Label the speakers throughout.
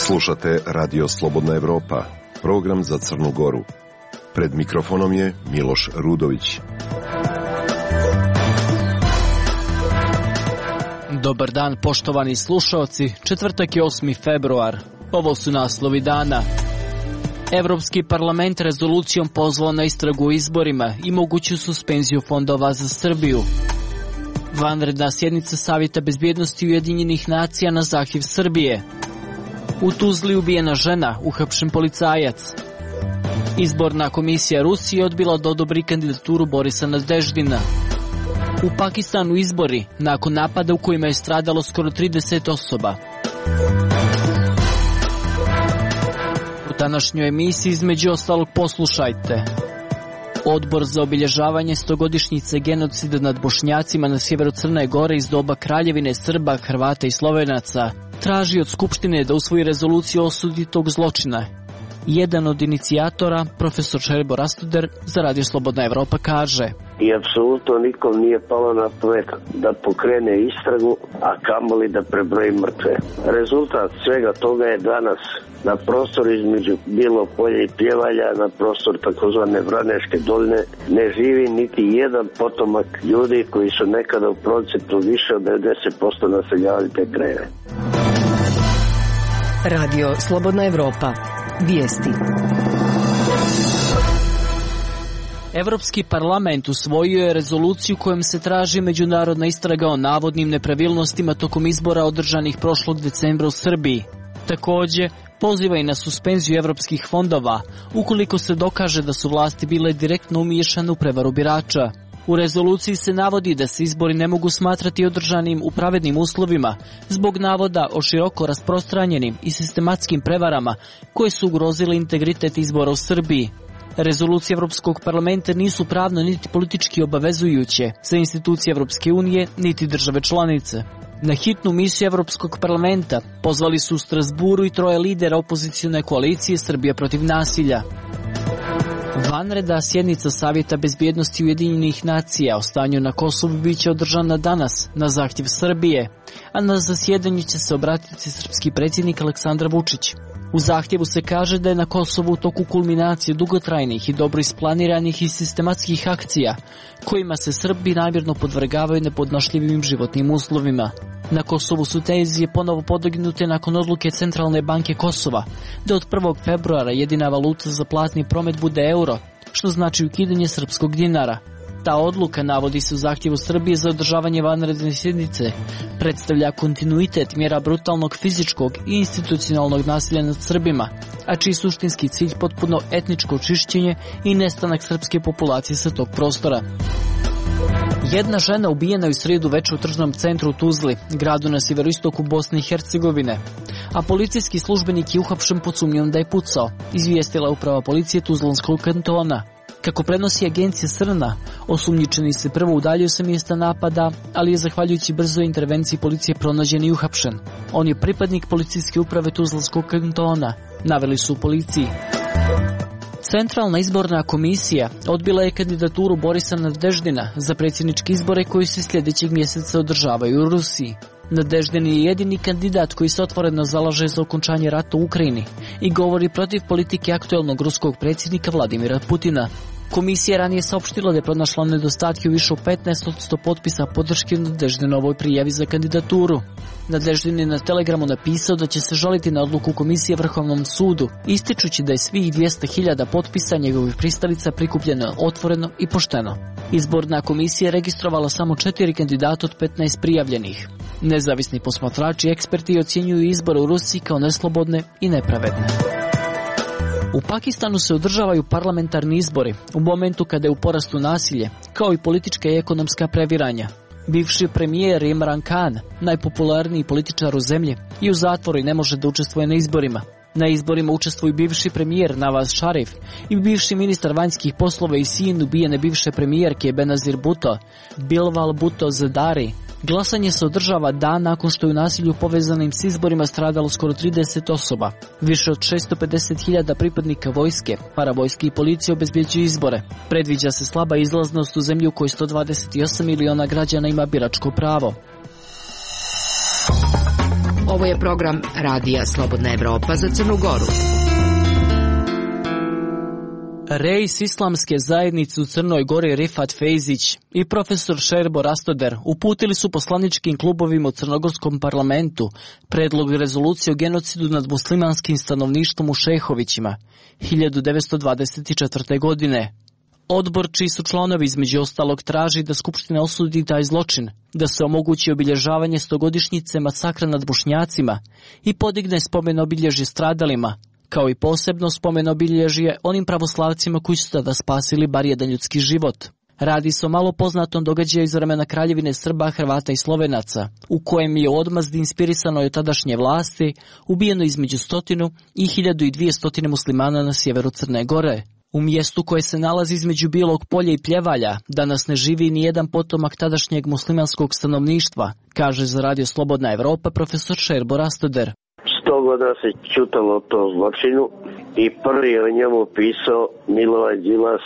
Speaker 1: Slušate Radio Slobodna Evropa, program za Crnu Goru. Pred mikrofonom je Miloš Rudović.
Speaker 2: Dobar dan, poštovani slušaoci. Četvrtak je 8. februar. Ovo su naslovi dana. Evropski parlament rezolucijom pozvao na istragu o izborima i moguću suspenziju fondova za Srbiju. Vanredna sjednica Savjeta bezbjednosti Ujedinjenih nacija na zahtjev Srbije. U Tuzli ubijena žena, uhapšen policajac. Izborna komisija Rusije odbila da odobri kandidaturu Borisa Nadeždina. U Pakistanu izbori, nakon napada u kojima je stradalo skoro 30 osoba. U današnjoj emisiji između ostalog poslušajte. Odbor za obilježavanje 100-godišnjice genocida nad Bošnjacima na sjeveru Crne Gore iz doba Kraljevine Srba, Hrvata i Slovenaca traži od Skupštine da usvoji rezoluciju o osudi tog zločina. Jedan od inicijatora, profesor Šerbo Rastuder, za Radio Slobodna Evropa kaže:
Speaker 3: I apsolutno nikom nije palo na pamet da pokrene istragu, a kamoli da prebroji mrtve. Rezultat svega toga je danas na prostoru između Bilo polja i Pjevalja, na prostor takozvane Vraneške doline, ne živi niti jedan potomak ljudi koji su nekada u procentu više od 90% naseljavali te krajeve.
Speaker 4: Radio Slobodna Evropa. Vijesti.
Speaker 2: Evropski parlament usvojio je rezoluciju kojom se traži međunarodna istraga o navodnim nepravilnostima tokom izbora održanih prošlog decembra u Srbiji. Također, poziva i na suspenziju evropskih fondova, ukoliko se dokaže da su vlasti bile direktno umiješane u prevaru birača. U rezoluciji se navodi da se izbori ne mogu smatrati održanim u pravednim uslovima zbog navoda o široko rasprostranjenim i sistematskim prevarama koje su ugrozile integritet izbora u Srbiji. Rezolucije Evropskog parlamenta nisu pravno niti politički obavezujuće za institucije Evropske unije niti države članice. Na hitnu misiju Evropskog parlamenta pozvali su u Strasburu i 3 lidera opozicione koalicije Srbija protiv nasilja. Vanredna sjednica Savjeta bezbjednosti Ujedinjenih nacija o stanju na Kosovu biće održana danas na zahtjev Srbije, a na zasjedanju će se obratiti srpski predsjednik Aleksandar Vučić. U zahtjevu se kaže da je na Kosovu u toku kulminacije dugotrajnih i dobro isplaniranih i sistematskih akcija, kojima se Srbi namjerno podvrgavaju nepodnošljivim životnim uslovima. Na Kosovu su tenzije ponovo podignute nakon odluke Centralne banke Kosova da od 1. februara jedina valuta za platni promet bude euro, što znači ukidanje srpskog dinara. Ta odluka, navodi se u zahtjevu Srbije za održavanje vanredne sjednice, predstavlja kontinuitet mjera brutalnog fizičkog i institucionalnog nasilja nad Srbima, a čiji suštinski cilj potpuno etničko očišćenje i nestanak srpske populacije sa tog prostora. Jedna žena ubijena je u srijedu večer u tržnom centru u Tuzli, gradu na sjeveroistoku Bosne i Hercegovine, a policijski službenik je uhapšen pod sumnjom da je pucao, izvijestila uprava policije Tuzlanskog kantona. Kako prenosi agencija Srna, osumnjičeni se prvo udaljio sa mjesta napada, ali je zahvaljujući brzoj intervenciji policije pronađen i uhapšen. On je pripadnik policijske uprave Tuzlanskog kantona, naveli su u policiji. Centralna izborna komisija odbila je kandidaturu Borisa Nadeždina za predsjedničke izbore koji se sljedećeg mjeseca održavaju u Rusiji. Nadeždin je jedini kandidat koji se otvoreno zalaže za okončanje rata u Ukrajini i govori protiv politike aktuelnog ruskog predsjednika Vladimira Putina. Komisija ranije saopštila da je pronašla nedostatke u više od 15% potpisa podrške Nadeždinovoj prijavi za kandidaturu. Nadeždin je na Telegramu napisao da će se žaliti na odluku komisije Vrhovnom sudu, ističući da je svih 200.000 potpisa njegovih pristalica prikupljeno otvoreno i pošteno. Izborna komisija je registrovala samo 4 kandidata od 15 prijavljenih. Nezavisni posmatrači i eksperti ocjenjuju izbore u Rusiji kao neslobodne i nepravedne. U Pakistanu se održavaju parlamentarni izbori u momentu kada je u porastu nasilje, kao i politička i ekonomska previranja. Bivši premijer Imran Khan, najpopularniji političar u zemlji, je u zatvoru i ne može da učestvuje na izborima. Na izborima učestvuju bivši premijer Nawaz Sharif i bivši ministar vanjskih poslova i sin ubijene bivše premijerke Benazir Bhutto, Bilwal Bhutto Zardari, Glasanje se održava dan nakon što je u nasilju povezanim s izborima stradalo skoro 30 osoba. Više od 650.000 pripadnika vojske, paravojske i policije obezbjeđuju izbore. Predviđa se slaba izlaznost u zemlju u kojoj 128 miliona građana ima biračko pravo.
Speaker 4: Ovo je program Radija Slobodna Evropa za Crnu Goru.
Speaker 2: Reis islamske zajednice u Crnoj Gori Rifat Fejzić i profesor Šerbo Rastoder uputili su poslaničkim klubovima u crnogorskom parlamentu predlog rezolucije o genocidu nad muslimanskim stanovništvom u Šehovićima 1924. godine. Odbor, čiji su članovi između ostalog, traži da Skupština osudi taj zločin, da se omogući obilježavanje 100-godišnjice masakra nad Bošnjacima i podigne spomen obilježje stradalima, kao i posebno spomen obilježje onim pravoslavcima koji su tada spasili bar jedan ljudski život. Radi se o malo poznatom događaju iz vremena Kraljevine Srba, Hrvata i Slovenaca, u kojem je u odmazdi inspirisano od tadašnje vlasti ubijeno između 100 i 1200 muslimana na sjeveru Crne Gore. U mjestu koje se nalazi između Bijelog polja i Pljevalja danas ne živi ni jedan potomak tadašnjeg muslimanskog stanovništva, kaže za Radio Slobodna Evropa profesor Šerbo Rastoder.
Speaker 3: 100 godina se čutalo o tom zločinu i prvi je o njemu pisao Milorad Đilas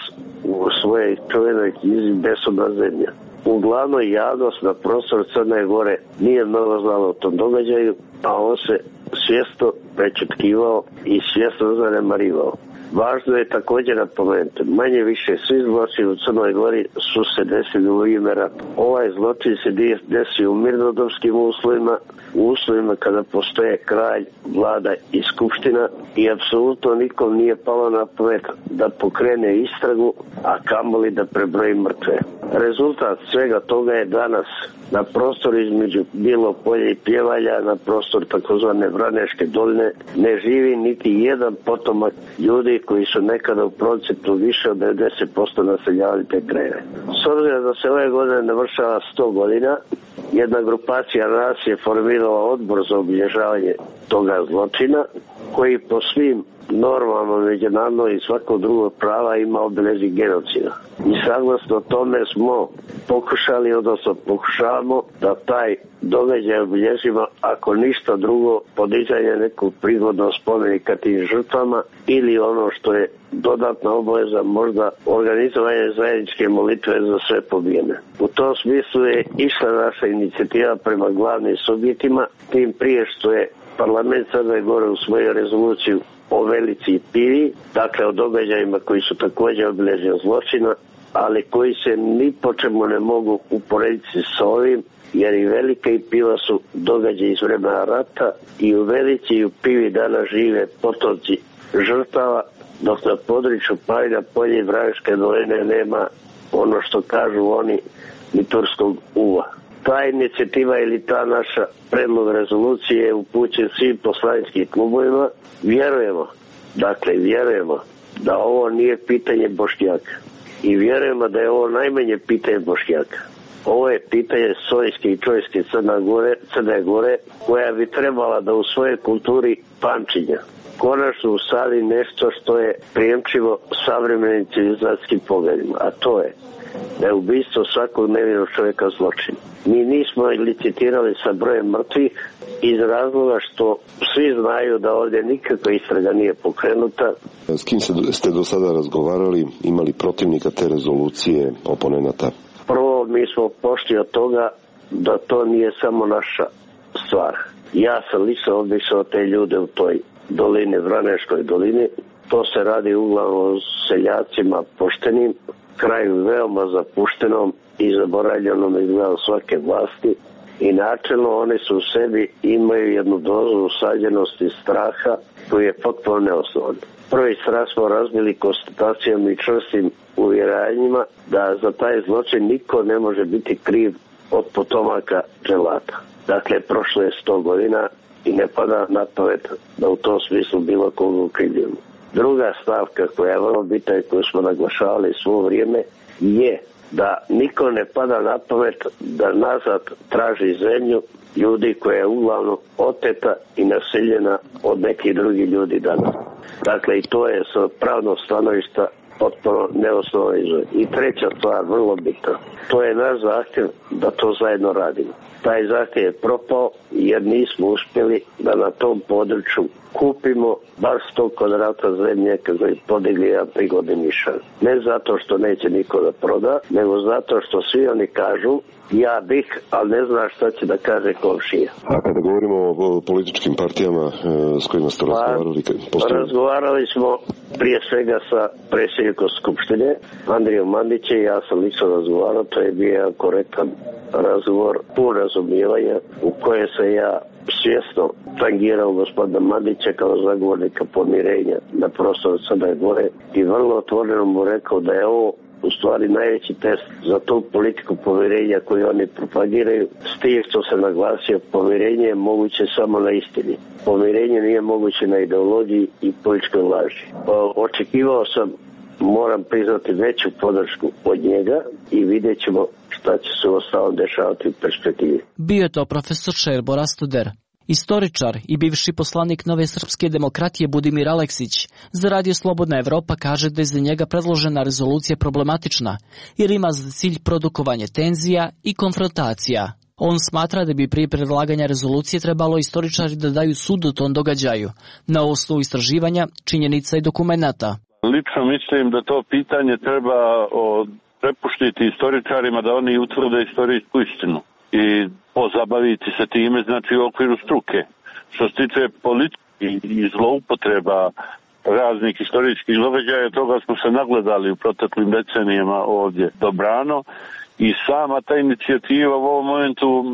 Speaker 3: u svojoj čuvenoj knjizi Besudna zemlja. Uglavnom javnost na prostoru Crne Gore nije mnogo znala o tom događaju, a on se svjesno prečutkivao i svjesno zanemarivao. Važno je također napomenuti, manje više svi zločini u Crnoj Gori su se desili u ime rata. Ovaj zločin se desio u mirnodopskim uslovima, u uslovima kada postoje kralj, vlada i skupština i apsolutno nikom nije palo na pamet da pokrene istragu, a kamoli da prebroji mrtve. Rezultat svega toga je danas na prostoru između Bijelog polja i Pljevalja, na prostoru takozvane Vraneške doline, ne živi niti jedan potomak ljudi koji su nekada u procentu više od 90% naseljavali te krajeve. S obzirom da se ove godine navršava 100 godina, jedna grupacija nas je formirala odbor za obilježavanje toga zločina, koji po svim normama međunarodnog i svakog drugog prava ima obilježje genocida. I saglasno tome smo pokušali, odnosno pokušavamo da taj događaj obilježimo, ako ništa drugo, podizanje nekog prigodnog spomenika tim žrtvama ili ono što je dodatna obaveza, možda organizovanje zajedničke molitve za sve pobijene. U tom smislu je išla naša inicijativa prema glavnim subjektima, tim prije što je parlament Crne Gore usvojio rezoluciju o Velici i Pivi, dakle o događajima koji su također obilježeni zločina, ali koji se ni po čemu ne mogu uporediti s ovim, jer i Velika i Piva su događaji iz vremena rata i u Velici i u Pivi danas žive potomci žrtava, dok na području Pavina polja i Vraneške doline nema ono što kažu oni ni turskog uva. Ta inicijativa ili ta naša predlog rezolucije je upućen svim poslaničkim klubovima. Vjerujemo da ovo nije pitanje Bošnjaka i vjerujemo da je ovo najmanje pitanje Bošnjaka. Ovo je pitanje sojske i čojske Crne Gore, koja bi trebala da u svojoj kulturi pamćenja konačno usadi nešto što je prijemčivo savremenim civilizacijskim pogledima, a to je da je ubistvo svakog nevinog čovjeka zločin. Mi nismo licitirali sa brojem mrtvih iz razloga što svi znaju da ovdje nikakva istraga nije pokrenuta.
Speaker 1: S kim ste do sada razgovarali, imali protivnika te rezolucije, oponenata?
Speaker 3: Prvo, mi smo pošli od toga da to nije samo naša stvar. Ja sam lično obišao te ljude u toj dolini, Vraneškoj dolini. To se radi uglavnom o seljacima poštenim, kraju veoma zapuštenom i zaboravljenom izgledom svake vlasti. I načelno oni su u sebi imaju jednu dozu usađenosti straha koji je potpuno neosnovan. Prvi strah smo razbili konstatacijom i čvrstim uvjerenjima da za taj zločin niko ne može biti kriv od potomaka dželata. Dakle, prošlo je 100 godina i ne pada na pamet da u tom smislu bilo koga ukrivljujemo. Druga stavka koja je vrlo bitna i koju smo naglašavali svo vrijeme je da niko ne pada na pamet da nazad traži zemlju ljudi koja je uglavnom oteta i naseljena od nekih drugih ljudi danas. Dakle, i to je sa pravnog stanovišta potpuno neosnovan izvor. I treća stvar, vrlo bitna, to je naš zahtjev da to zajedno radimo. Taj zahtjev je propao jer nismo uspjeli da na tom području kupimo bar 100 kvadrata zemlje kako je podigli jedan prigodni nišan. Ne zato što neće niko da proda, nego zato što svi oni kažu ja bih, ali ne zna šta će da kaže komšija.
Speaker 1: A kada govorimo o političkim partijama s kojima ste razgovarali?
Speaker 3: Razgovarali smo prije svega sa predsjednikom Skupštine, Andrijom Mandićem, ja sam lično razgovarao, to je bio jedan korektan razgovor, pun razumijevanja u koje se ja svjesno tangirao gospodina Mandića kao zagovornika pomirenja na prostoru Crne Gore i vrlo otvoreno mu rekao da je ovo u stvari najveći test za tu politiku pomirenja koju oni propagiraju, s tim što se naglasio pomirenje je moguće samo na istini. Pomirenje nije moguće na ideologiji i političkoj laži. Očekivao sam, moram priznati, veću podršku od njega i vidjet ćemo šta će se ostalo dešavati u perspektivi.
Speaker 2: Bio je to profesor Šerbo Rastuder. Istoričar i bivši poslanik Nove srpske demokratije Budimir Aleksić za Radio Slobodna Evropa kaže da je za njega predložena rezolucija problematična jer ima za cilj produkovanje tenzija i konfrontacija. On smatra da bi prije predlaganja rezolucije trebalo istoričari da daju sud o tom događaju na osnovu istraživanja, činjenica i dokumenata.
Speaker 5: Lično mislim da to pitanje treba prepuštiti istoričarima da oni utvrde istorijsku istinu i pozabaviti se time, znači u okviru struke. Što se tiče politike i zloupotreba raznih istorijskih događaja, toga smo se nagledali u proteklim decenijama ovdje dobrano i sama ta inicijativa u ovom momentu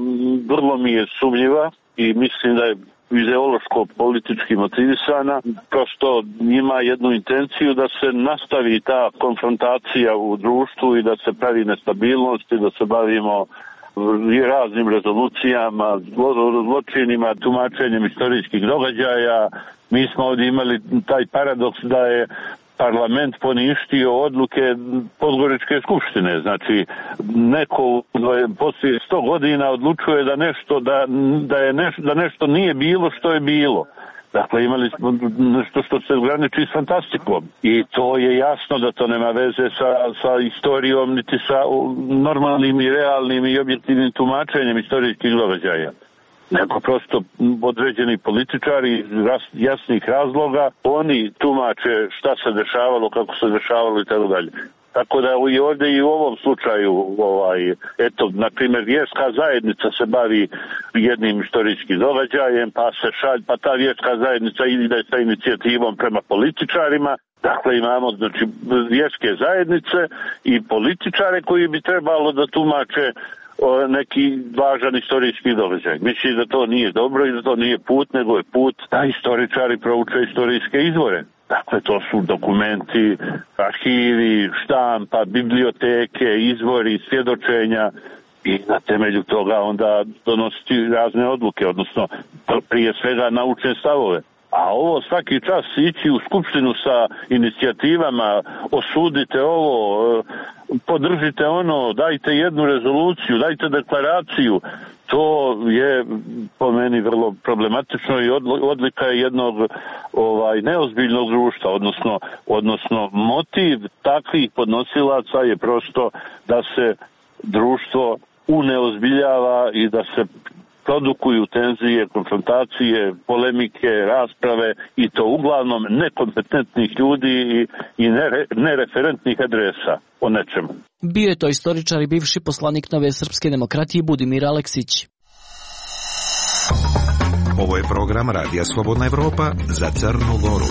Speaker 5: vrlo mi je sumnjiva i mislim da je ideološko-politički motivisana, prosto ima jednu intenciju da se nastavi ta konfrontacija u društvu i da se pravi nestabilnost i da se bavimo raznim rezolucijama, zločinima, tumačenjem istorijskih događaja. Mi smo ovdje imali taj paradoks da je parlament poništio odluke Podgoričke skupštine. Znači, neko poslije 100 godina odlučuje da nešto nije bilo što je bilo. Dakle, imali smo nešto što se graniči s fantastikom. I to je jasno da to nema veze sa istorijom, niti sa normalnim i realnim i objektivnim tumačenjem istorijskih događaja. Nego prosto određeni političari iz jasnih razloga, oni tumače šta se dešavalo, kako se dešavalo i tako dalje. Tako da i ovdje i u ovom slučaju, na primjer, vjerska zajednica se bavi jednim istorijskim događajem, pa ta vjerska zajednica ide sa inicijativom prema političarima. Dakle, imamo vjerske zajednice i političare koji bi trebalo da tumače neki važan istorijski događaj. Mislim da to nije dobro i da to nije put, nego je put da istoričari prouče istorijske izvore. Dakle, to su dokumenti, arhivi, štampa, biblioteke, izvori, svjedočenja i na temelju toga onda donositi razne odluke, odnosno prije svega naučne stavove. A ovo svaki čas ići u skupštinu sa inicijativama, osudite ovo, podržite ono, dajte jednu rezoluciju, dajte deklaraciju, to je po meni vrlo problematično i odlika je jednog neozbiljnog društva, odnosno motiv takvih podnosilaca je prosto da se društvo uneozbiljava i da se produkuju tenzije, konfrontacije, polemike, rasprave i to uglavnom nekompetentnih ljudi i nereferentnih adresa o nečemu.
Speaker 2: Bio je to istoričar i bivši poslanik Nove srpske demokratije Budimir Aleksić.
Speaker 6: Ovo je program Radija Slobodna Evropa za Crnu Goru.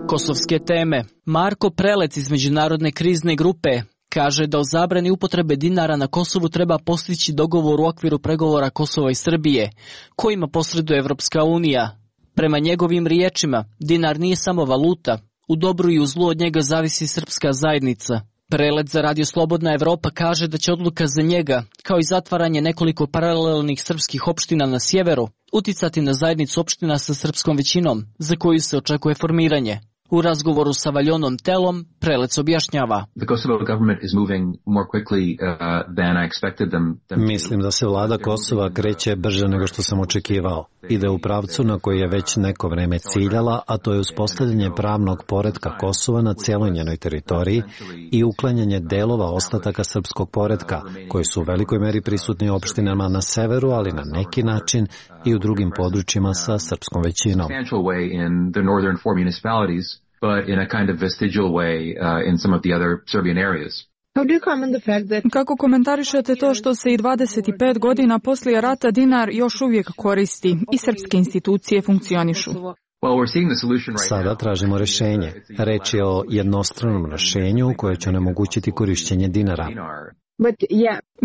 Speaker 2: Kosovske teme. Marko Prelec iz Međunarodne krizne grupe kaže da o zabrani upotrebe dinara na Kosovu treba postići dogovor u okviru pregovora Kosova i Srbije, kojima posreduje Evropska unija. Prema njegovim riječima, dinar nije samo valuta, u dobru i u zlu od njega zavisi srpska zajednica. Prelec za Radio Slobodna Evropa kaže da će odluka za njega, kao i zatvaranje nekoliko paralelnih srpskih opština na sjeveru, uticati na zajednicu opština sa srpskom većinom, za koju se očekuje formiranje. U razgovoru sa Valjonom Telom, Prelec objašnjava.
Speaker 7: Mislim da se vlada Kosova kreće brže nego što sam očekivao. Ide u pravcu na koji je već neko vreme ciljala, a to je uspostavljanje pravnog poretka Kosova na cijeloj njenoj teritoriji i uklanjanje delova ostataka srpskog poretka, koji su u velikoj meri prisutni u opštinama na severu, ali na neki način i u drugim područjima sa srpskom većinom.
Speaker 8: But in a kind of vestigial way in some of the other Serbian areas.
Speaker 9: Kako komentarišete to što se i 25 godina poslije rata dinar još uvijek koristi i srpske institucije funkcionišu?
Speaker 7: Sada tražimo rješenje. Reč je o jednostranom rješenju koje će onemogućiti korišćenje dinara.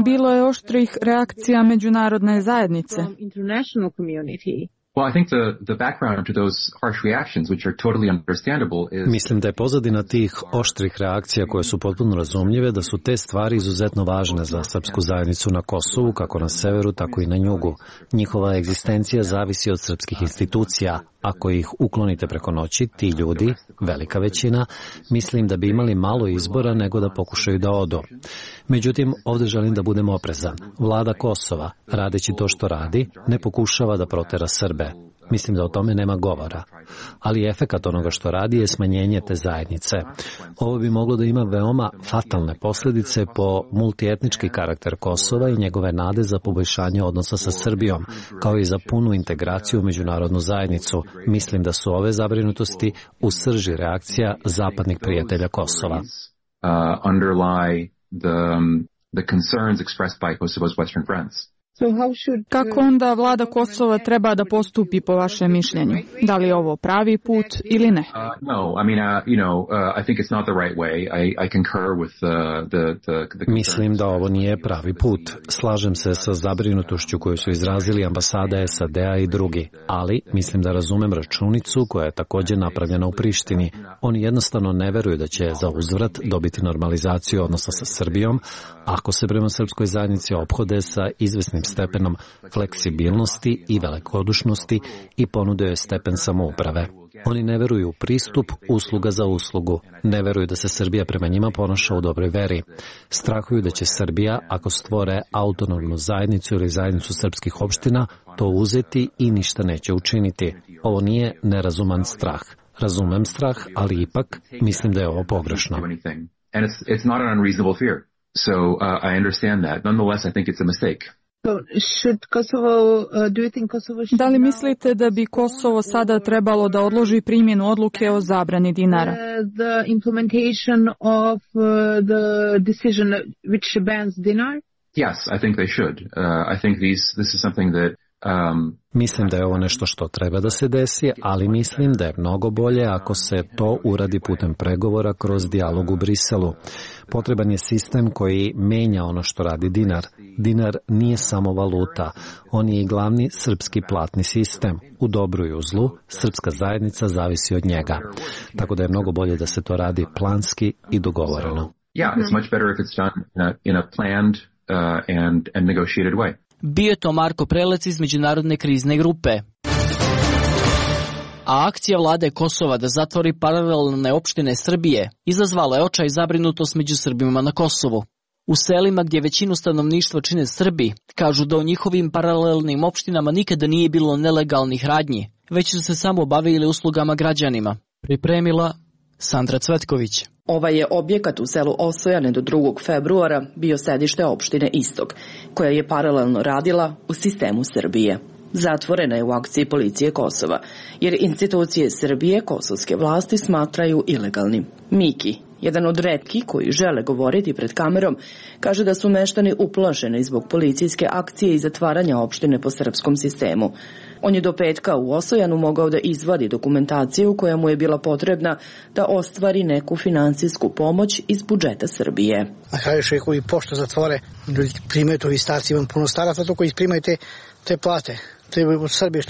Speaker 9: Bilo je oštrih reakcija međunarodne zajednice.
Speaker 8: Well, I think the background to those harsh reactions, which are totally understandable, is...
Speaker 7: Mislim da je pozadina tih oštrih reakcija koje su potpuno razumljive, da su te stvari izuzetno važne za srpsku zajednicu na Kosovu, kako na severu, tako i na jugu. Njihova egzistencija zavisi od srpskih institucija. Ako ih uklonite preko noći, ti ljudi, velika većina, mislim da bi imali malo izbora nego da pokušaju da odu. Međutim, ovdje želim da budem oprezan. Vlada Kosova, radeći to što radi, ne pokušava da protera Srbe. Mislim da o tome nema govora. Ali efekat onoga što radi je smanjenje te zajednice. Ovo bi moglo da ima veoma fatalne posljedice po multietnički karakter Kosova i njegove nade za poboljšanje odnosa sa Srbijom, kao i za punu integraciju u međunarodnu zajednicu. Mislim da su ove zabrinutosti u srži reakcija zapadnih prijatelja Kosova.
Speaker 8: The concerns expressed by Kosovo's Western friends.
Speaker 9: Kako onda vlada Kosova treba da postupi po vašem mišljenju? Da li je ovo pravi put ili ne?
Speaker 7: Mislim da ovo nije pravi put. Slažem se sa zabrinutošću koju su izrazili ambasada SAD-a i drugi, ali mislim da razumem računicu koja je također napravljena u Prištini. Oni jednostavno ne veruju da će za uzvrat dobiti normalizaciju odnosa sa Srbijom, ako se prema srpskoj zajednici ophode sa izvesnim stepenom fleksibilnosti i velikodušnosti i ponude joj stepen samouprave. Oni ne veruju u pristup usluga za uslugu. Ne veruju da se Srbija prema njima ponaša u dobroj veri. Strahuju da će Srbija, ako stvore autonomnu zajednicu ili zajednicu srpskih opština, to uzeti i ništa neće učiniti. Ovo nije nerazuman strah. Razumem strah, ali ipak mislim da je ovo pogrešno.
Speaker 8: So I understand that. Nonetheless, I think it's a mistake.
Speaker 9: Da li mislite da bi Kosovo sada trebalo da odloži primjenu odluke o zabrani dinara?
Speaker 10: The implementation of the decision which bans dinar?
Speaker 8: Yes, I think they should. I think this is something that
Speaker 7: Mislim da je ovo nešto što treba da se desi, ali mislim da je mnogo bolje ako se to uradi putem pregovora kroz dijalog u Briselu. Potreban je sistem koji menja ono što radi dinar. Dinar nije samo valuta, on je i glavni srpski platni sistem. U dobru i u zlu, srpska zajednica zavisi od njega. Tako da je mnogo bolje da se to radi planski i dogovoreno.
Speaker 8: Yeah, it's much better if it's done in a planned and negotiated way.
Speaker 2: Bio je to Marko Prelec iz Međunarodne krizne grupe. A akcija vlade Kosova da zatvori paralelne opštine Srbije izazvala je očaj i zabrinutost među Srbima na Kosovu. U selima gdje većinu stanovništva čine Srbi, kažu da u njihovim paralelnim opštinama nikada nije bilo nelegalnih radnji, već su se samo bavili uslugama građanima. Pripremila Sandra Cvetković.
Speaker 11: Ovaj je objekat u selu Osojane do 2. februara bio sedište opštine Istok, koja je paralelno radila u sistemu Srbije. Zatvorena je u akciji policije Kosova, jer institucije Srbije kosovske vlasti smatraju ilegalnim. Miki, jedan od retkih koji žele govoriti pred kamerom, kaže da su meštani uplašeni zbog policijske akcije i zatvaranja opštine po srpskom sistemu. On je do petka u Osojanu mogao da izvadi dokumentaciju koja mu je bila potrebna da ostvari neku finansijsku pomoć iz budžeta Srbije.
Speaker 12: A kažeš koji pošto zatvore, ljudi primaju to, vi starci, imam puno staraca to koji primaju te plate, te u Srbiji,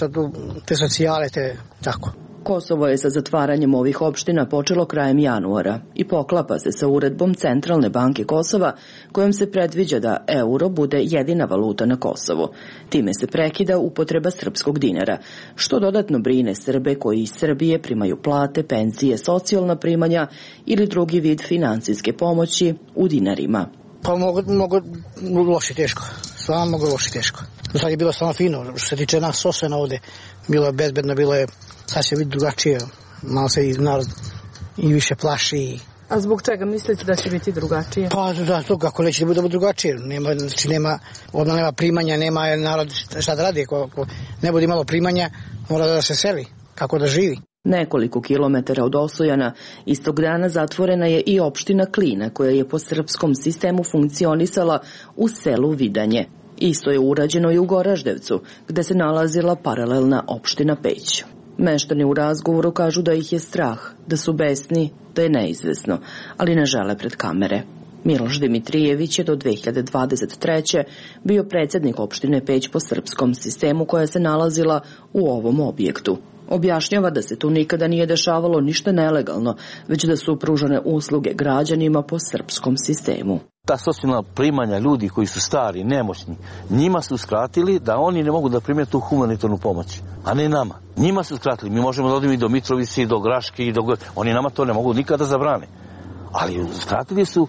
Speaker 12: te socijale, te tako.
Speaker 11: Kosovo je sa zatvaranjem ovih opština počelo krajem januara i poklapa se sa uredbom Centralne banke Kosova kojom se predviđa da euro bude jedina valuta na Kosovu. Time se prekida upotreba srpskog dinara, što dodatno brine Srbe koji iz Srbije primaju plate, penzije, socijalna primanja ili drugi vid finansijske pomoći u dinarima.
Speaker 12: Pa mogu loše teško, stvarno mogu loše teško. Sad je bilo stvarno fino, što se tiče nas Sosvena ovde, bilo je bezbedno, bilo je sasvim drugačije, malo se i narod i više plaši.
Speaker 9: A zbog čega mislite da će biti drugačije?
Speaker 12: Pa da, to kako neće da bude drugačije, nema primanja, nema narod šta da radi, ako ne bude imalo primanja, mora da se seli, kako da živi.
Speaker 11: Nekoliko kilometara od Osojana istog dana zatvorena je i opština Klina koja je po srpskom sistemu funkcionisala u selu Vidanje. Isto je urađeno i u Goraždevcu, gde se nalazila paralelna opština Peć. Meštani u razgovoru kažu da ih je strah, da su besni, da je neizvesno, ali ne žele pred kamere. Miloš Dimitrijević je do 2023. bio predsjednik opštine Peć po srpskom sistemu koja se nalazila u ovom objektu. Objašnjava da se tu nikada nije dešavalo ništa nelegalno, već da su pružane usluge građanima po srpskom sistemu.
Speaker 13: Ta socijalna primanja ljudi koji su stari, nemoćni, njima su skratili da oni ne mogu da prime tu humanitarnu pomoć, a ne nama. Njima su skratili, mi možemo da odemo i do Mitrovice, i do Graške, oni nama to ne mogu nikada zabrane. Ali skratili su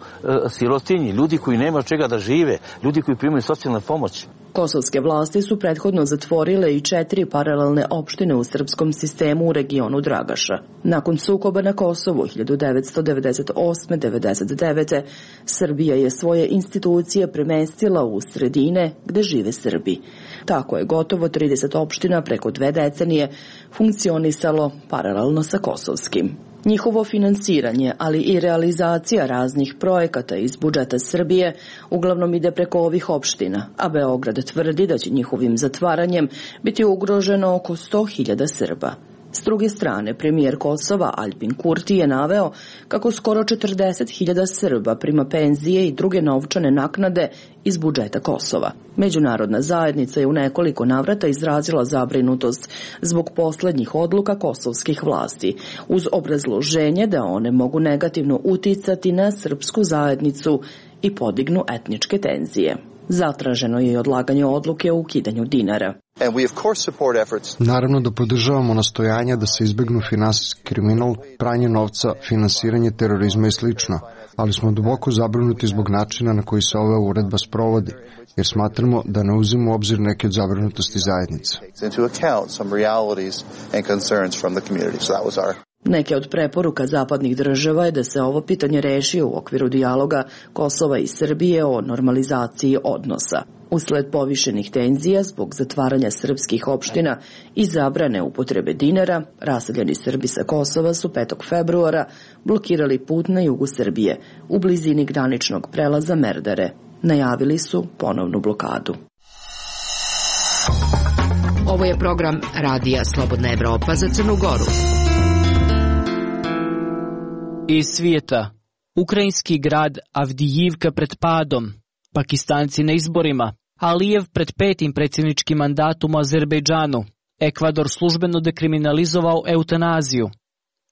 Speaker 13: sirotinji, ljudi koji nema od čega da žive, ljudi koji primaju socijalnu pomoć.
Speaker 11: Kosovske vlasti su prethodno zatvorile i 4 paralelne opštine u srpskom sistemu u regionu Dragaša. Nakon sukoba na Kosovu 1998-99. Srbija je svoje institucije premestila u sredine gde žive Srbi. Tako je gotovo 30 opština preko 2 decenije funkcionisalo paralelno sa kosovskim. Njihovo finansiranje, ali i realizacija raznih projekata iz budžeta Srbije uglavnom ide preko ovih opština, a Beograd tvrdi da će njihovim zatvaranjem biti ugroženo oko 100.000 Srba. S druge strane, premijer Kosova Aljbin Kurti je naveo kako skoro 40.000 Srba prima penzije i druge novčane naknade iz budžeta Kosova. Međunarodna zajednica je u nekoliko navrata izrazila zabrinutost zbog poslednjih odluka kosovskih vlasti, uz obrazloženje da one mogu negativno uticati na srpsku zajednicu i podignu etničke tenzije. Zatraženo je i odlaganje odluke o ukidanju dinara.
Speaker 14: Naravno da podržavamo nastojanja da se izbegnu finansijski kriminal, pranje novca, finansiranje terorizma i slično, ali smo duboko zabrinuti zbog načina na koji se ova uredba sprovodi, jer smatramo da ne uzima u obzir neke od zabrinutosti zajednice.
Speaker 11: Neke od preporuka zapadnih država je da se ovo pitanje reši u okviru dijaloga Kosova i Srbije o normalizaciji odnosa. Usled povišenih tenzija zbog zatvaranja srpskih opština i zabrane upotrebe dinara, raseljeni Srbi sa Kosova su 5. februara blokirali put na jugu Srbije u blizini graničnog prelaza Merdare. Najavili su ponovnu blokadu.
Speaker 4: Ovo je program Radija Slobodna Evropa za Crnu Goru.
Speaker 2: Iz svijeta. Ukrajinski grad Avdijivka pred padom. Pakistanci na izborima. Alijev pred 5. predsjedničkim mandatom u Azerbejdžanu. Ekvador službeno dekriminalizovao eutanaziju.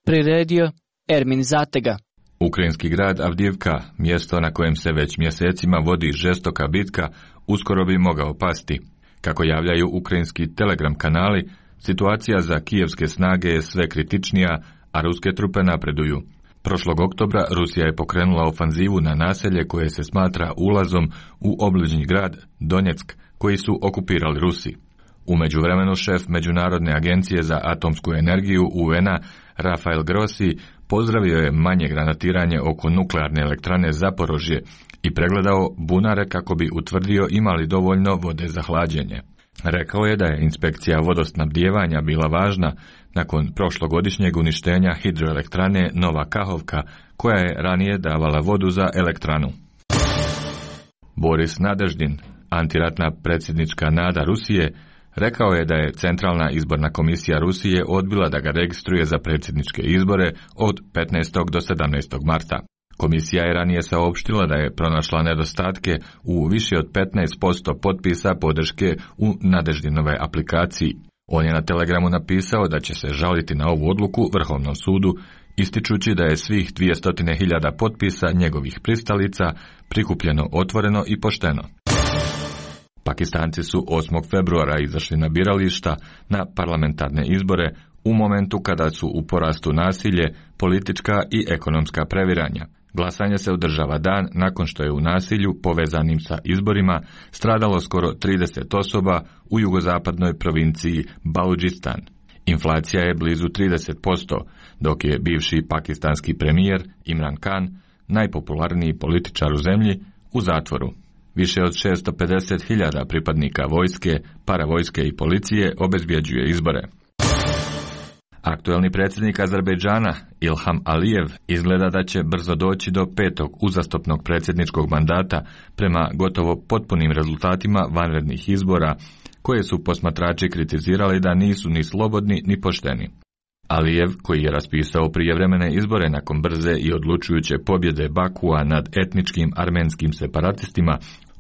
Speaker 2: Priredio Ermin Zatega.
Speaker 15: Ukrajinski grad Avdijivka, mjesto na kojem se već mjesecima vodi žestoka bitka, uskoro bi mogao pasti. Kako javljaju ukrajinski telegram kanali, situacija za kijevske snage je sve kritičnija, a ruske trupe napreduju. Prošlog oktobra Rusija je pokrenula ofanzivu na naselje koje se smatra ulazom u obližnji grad Donjeck, koji su okupirali Rusi. U međuvremenu šef Međunarodne agencije za atomsku energiju UN-a Rafael Grossi pozdravio je manje granatiranje oko nuklearne elektrane Zaporožje i pregledao bunare kako bi utvrdio imali dovoljno vode za hlađenje. Rekao je da je inspekcija vodosnabdijevanja bila važna nakon prošlogodišnjeg uništenja hidroelektrane Nova Kahovka, koja je ranije davala vodu za elektranu. Boris Nadeždin, antiratna predsjednička nada Rusije, rekao je da je Centralna izborna komisija Rusije odbila da ga registruje za predsjedničke izbore od 15. do 17. marta. Komisija je ranije saopštila da je pronašla nedostatke u više od 15% potpisa podrške u Nadeždinove aplikaciji. On je na Telegramu napisao da će se žaliti na ovu odluku Vrhovnom sudu, ističući da je svih 200.000 potpisa njegovih pristalica prikupljeno otvoreno i pošteno. Pakistanci su 8. februara izašli na birališta na parlamentarne izbore u momentu kada su u porastu nasilje, politička i ekonomska previranja. Glasanje se održava dan nakon što je u nasilju povezanim sa izborima stradalo skoro 30 osoba u jugozapadnoj provinciji Baludžistan. Inflacija je blizu 30%, dok je bivši pakistanski premijer Imran Khan, najpopularniji političar u zemlji, u zatvoru. Više od 650.000 pripadnika vojske, paravojske i policije obezbjeđuje izbore. Aktuelni predsjednik Azerbejdžana Ilham Alijev izgleda da će brzo doći do 5. uzastopnog predsjedničkog mandata prema gotovo potpunim rezultatima vanrednih izbora, koje su posmatrači kritizirali da nisu ni slobodni ni pošteni. Alijev, koji je raspisao prijevremene izbore nakon brze i odlučujuće pobjede Bakua nad etničkim armenskim separatistima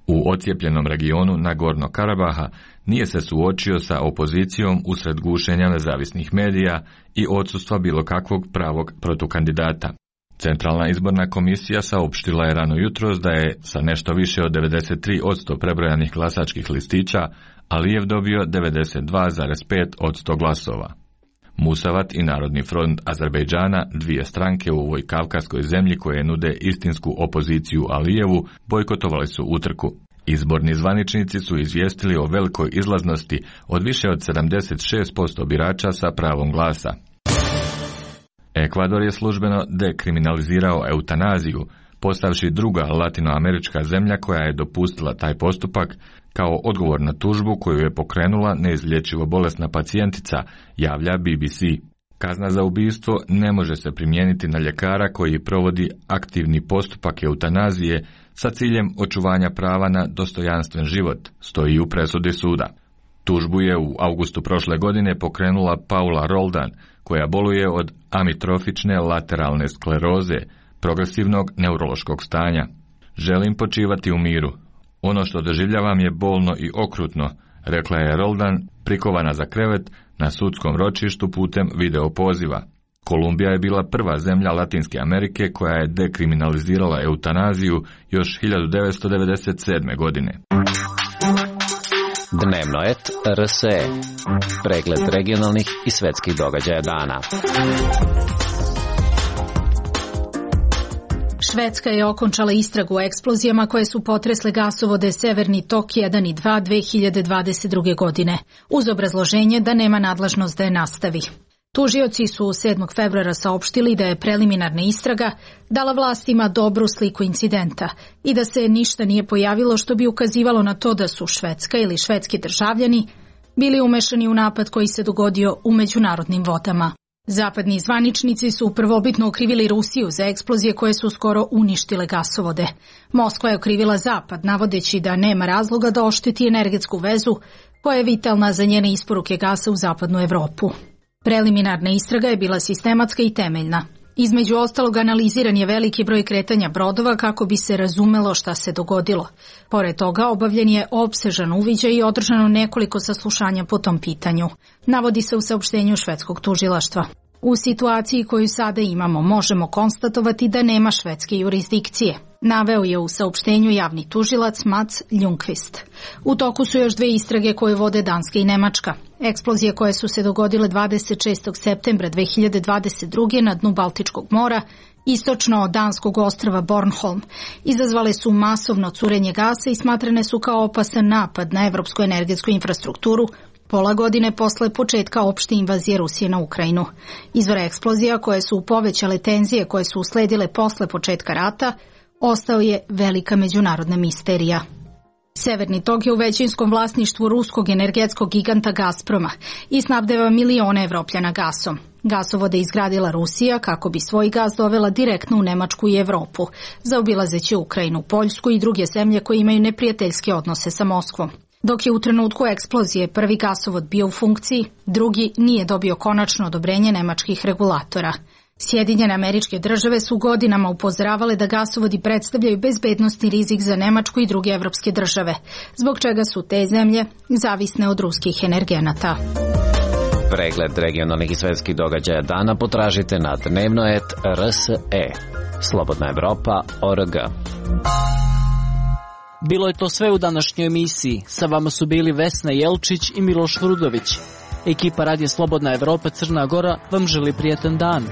Speaker 15: u ocijepljenom regionu Nagorno Karabaha, nije se suočio sa opozicijom usred gušenja nezavisnih medija i odsustva bilo kakvog pravog protukandidata. Centralna izborna komisija saopštila je rano jutros da je sa nešto više od 93% prebrojanih glasačkih listića Alijev dobio 92,5% glasova. Musavat i Narodni front Azerbejdžana, dvije stranke u ovoj kavkaskoj zemlji koje nude istinsku opoziciju Alijevu, bojkotovali su utrku. Izborni zvaničnici su izvijestili o velikoj izlaznosti od više od 76% birača sa pravom glasa. Ekvador je službeno dekriminalizirao eutanaziju, postavši druga latinoamerička zemlja koja je dopustila taj postupak kao odgovor na tužbu koju je pokrenula neizlječivo bolesna pacijentica, javlja BBC. Kazna za ubistvo ne može se primijeniti na ljekara koji provodi aktivni postupak eutanazije sa ciljem očuvanja prava na dostojanstven život, stoji u presudi suda. Tužbu je u avgustu prošle godine pokrenula Paula Roldan, koja boluje od amitrofične lateralne skleroze, progresivnog neurološkog stanja. Želim počivati u miru. Ono što doživljavam je bolno i okrutno, rekla je Roldan, prikovana za krevet na sudskom ročištu putem video poziva. Kolumbija je bila prva zemlja Latinske Amerike koja je dekriminalizirala eutanaziju još 1997. godine.
Speaker 7: Dnevnoet RSE. Pregled regionalnih i svetskih događaja dana.
Speaker 16: Švedska je okončala istragu o eksplozijama koje su potresle gasovode Severni tok 1 i 2 2022. godine, uz obrazloženje da nema nadležnost da je nastavi. Tužioci su 7. februara saopštili da je preliminarna istraga dala vlastima dobru sliku incidenta i da se ništa nije pojavilo što bi ukazivalo na to da su Švedska ili švedski državljani bili umešani u napad koji se dogodio u međunarodnim vodama. Zapadni zvaničnici su prvobitno okrivili Rusiju za eksplozije koje su skoro uništile gasovode. Moskva je okrivila Zapad, navodeći da nema razloga da ošteti energetsku vezu koja je vitalna za njene isporuke gasa u zapadnu Evropu. Preliminarna istraga je bila sistematska i temeljna. Između ostalog analiziran je veliki broj kretanja brodova kako bi se razumelo šta se dogodilo. Pored toga obavljen je opsežan uviđaj i održano nekoliko saslušanja po tom pitanju, navodi se u saopštenju švedskog tužilaštva. U situaciji koju sada imamo možemo konstatovati da nema švedske jurisdikcije, naveo je u saopštenju javni tužilac Mats Ljungqvist. U toku su još dve istrage koje vode Danska i Nemačka. Eksplozije koje su se dogodile 26. septembra 2022. na dnu Baltičkog mora, istočno od danskog ostrva Bornholm, izazvale su masovno curenje gasa i smatrane su kao opasan napad na evropsku energetsku infrastrukturu, pola godine posle početka opšte invazije Rusije na Ukrajinu. Izvor eksplozija koje su povećale tenzije koje su usledile posle početka rata ostao je velika međunarodna misterija. Severni tok je u većinskom vlasništvu ruskog energetskog giganta Gazproma i snabdeva milione Evropljana gasom. Gasovode je izgradila Rusija kako bi svoj gas dovela direktno u Nemačku i Evropu, zaobilazeći Ukrajinu, Poljsku i druge zemlje koje imaju neprijateljske odnose sa Moskvom. Dok je u trenutku eksplozije prvi gasovod bio u funkciji, drugi nije dobio konačno odobrenje nemačkih regulatora. Sjedinjene Američke Države su godinama upozoravale da gasovodi predstavljaju bezbednosni rizik za Nemačku i druge evropske države, zbog čega su te zemlje zavisne od ruskih energenata.
Speaker 7: Pregled regionalnih i svetskih događaja dana potražite na dnevno.rs.e. Slobodna Evropa.org.
Speaker 2: Bilo je to sve u današnjoj emisiji. Sa vama su bili Vesna Jelčić i Miloš Vrudović. Ekipa Radija Slobodna Evropa Crna Gora vam želi prijatan dan.